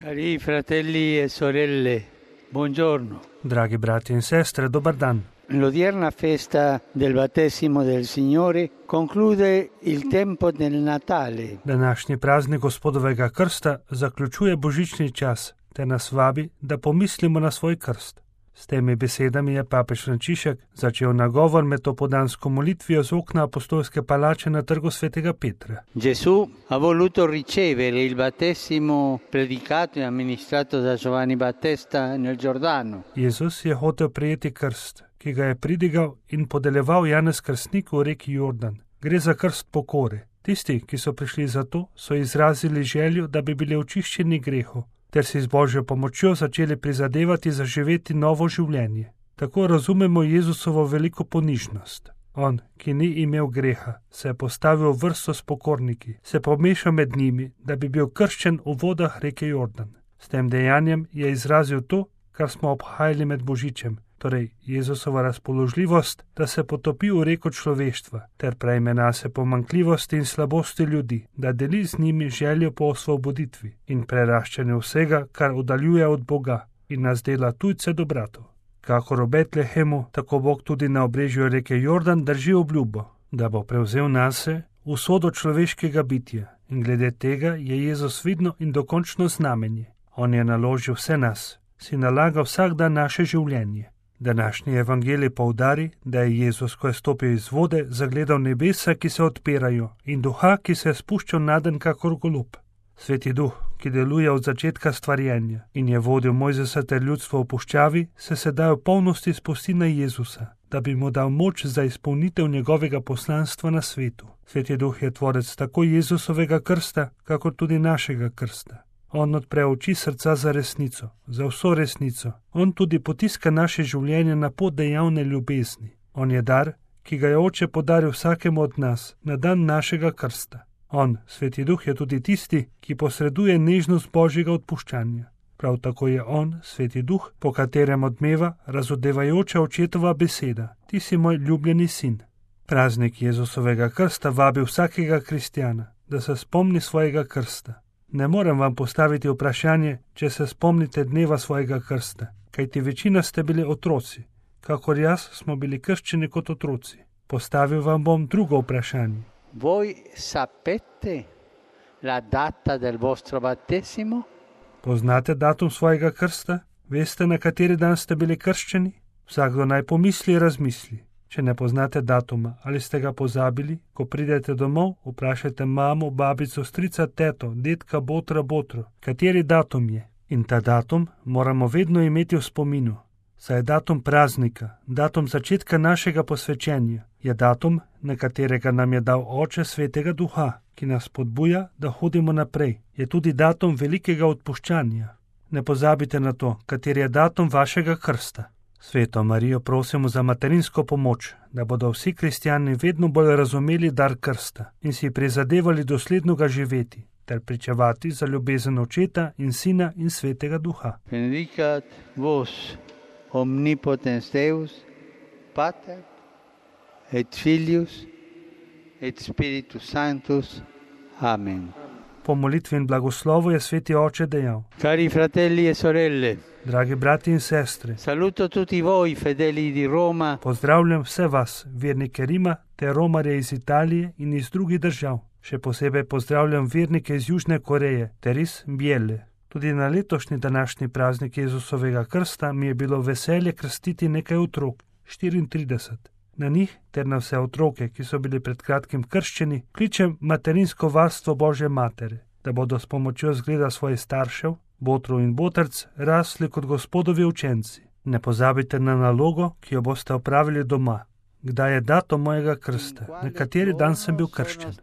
Cari fratelli e sorelle, buongiorno. Dragi brati in sestre, dobar dan. L'odierna festa del battesimo del Signore conclude il tempo del Natale. Današnji praznik Gospodovega krsta zaključuje božični čas te nas vabi, da pomislimo na svoj krst. S temi besedami je papež Frančišek začel nagovor med opoldansko molitvijo z okna apostolske palače na trgu svetega Petra. Gesù ha voluto ricevere il battesimo predicato e amministrato da Giovanni Battista nel Giordano. Jezus je hotel prejeti krst, ki ga je pridigal in podeljeval Janez Krstnik v reki Jordan. Gre za krst pokore. Tisti, ki so prišli za to, so izrazili željo, da bi bili očiščeni grehov, ter si z Božjo pomočjo začeli prizadevati za živeti novo življenje. Tako razumemo Jezusovo veliko ponižnost. On, ki ni imel greha, se je postavil v vrsto s pokorniki, se pomešal med njimi, da bi bil krščen v vodah reke Jordan. S tem dejanjem je izrazil to, kar smo obhajali med Božičem, torej Jezusova razpoložljivost, da se potopi v reko človeštva, ter prejme nase pomanjkljivosti in slabosti ljudi, da deli z njimi željo po osvoboditvi in preraščanju vsega, kar oddaljuje od Boga in nas dela tujce do bratov. Kakor v Betlehemu, tako Bog tudi na obrežju reke Jordan drži obljubo, da bo prevzel nase usodo človeškega bitja, in glede tega je Jezus vidno in dokončno znamenje. On je naložil vse nas, si nalaga vsak dan naše življenje. Današnji evangelij poudari, da je Jezus, ko je stopil iz vode, zagledal nebesa, ki se odpirajo, in duha, ki se je spuščal naden kakor golub. Sveti duh, ki deluje od začetka stvarjenja in je vodil Mojzesa ter ljudstvo v puščavi, se sedaj v polnosti spusti na Jezusa, da bi mu dal moč za izpolnitev njegovega poslanstva na svetu. Sveti duh je tvorec tako Jezusovega krsta, kakor tudi našega krsta. On odpre oči srca za resnico, za vso resnico. On tudi potiska naše življenje na pot dejavne ljubezni. On je dar, ki ga je Oče podaril vsakemu od nas na dan našega krsta. On, Sveti Duh, je tudi tisti, ki posreduje nežnost Božjega odpuščanja. Prav tako je on, Sveti Duh, po katerem odmeva razodevajoča očetova beseda: Ti si moj ljubljeni sin. Praznik Jezusovega krsta vabi vsakega kristjana, da se spomni svojega krsta. Ne morem vam postaviti vprašanje, če se spomnite dneva svojega krsta, kajti večina ste bili otroci, kakor jaz smo bili krščeni kot otroci. Postavil vam bom drugo vprašanje. Voi sapete la data del vostro battesimo? Poznate datum svojega krsta? Veste, na kateri dan ste bili krščeni? Vsakdo naj pomisli in razmisli. Če ne poznate datuma ali ste ga pozabili, ko pridete domov, vprašajte mamo, babico, strica, teto, dedka, botra, botro, kateri datum je. In ta datum moramo vedno imeti v spominu. Saj je datum praznika, datum začetka našega posvečenja, je datum, na katerega nam je dal Oče Svetega Duha, ki nas spodbuja, da hodimo naprej. Je tudi datum velikega odpuščanja. Ne pozabite na to, kateri je datum vašega krsta. Sveto Marijo prosimo za materinsko pomoč, da bodo vsi kristjani vedno bolj razumeli dar krsta in si prizadevali dosledno ga živeti, ter pričevati za ljubezen Očeta in Sina in Svetega Duha. Benedicat vos omnipotens Deus, Pater et Filius et Spiritus Sanctus. Amen. Po molitvi in blagoslovu je Sveti Oče dejal: Cari fratelli e sorelle, dragi brati in sestre, saluto tutti voi fedeli di Roma. Pozdravljam vse vas, vernike Rima, ter romarje iz Italije in iz drugih držav. Še posebej pozdravljam vernike iz Južne Koreje ter iz Bijele. Tudi na letošnji današnji praznik Jezusovega krsta mi je bilo veselje krstiti nekaj otrok, 34. Na njih ter na vse otroke, ki so bili pred kratkim krščeni, kličem materinsko varstvo Božje matere, da bodo s pomočjo zgleda svojih staršev, botrov in botrc, rasli kot Gospodovi učenci. Ne pozabite na nalogo, ki jo boste opravili doma. Kdaj je datum mojega krsta? Na kateri dan sem bil krščen?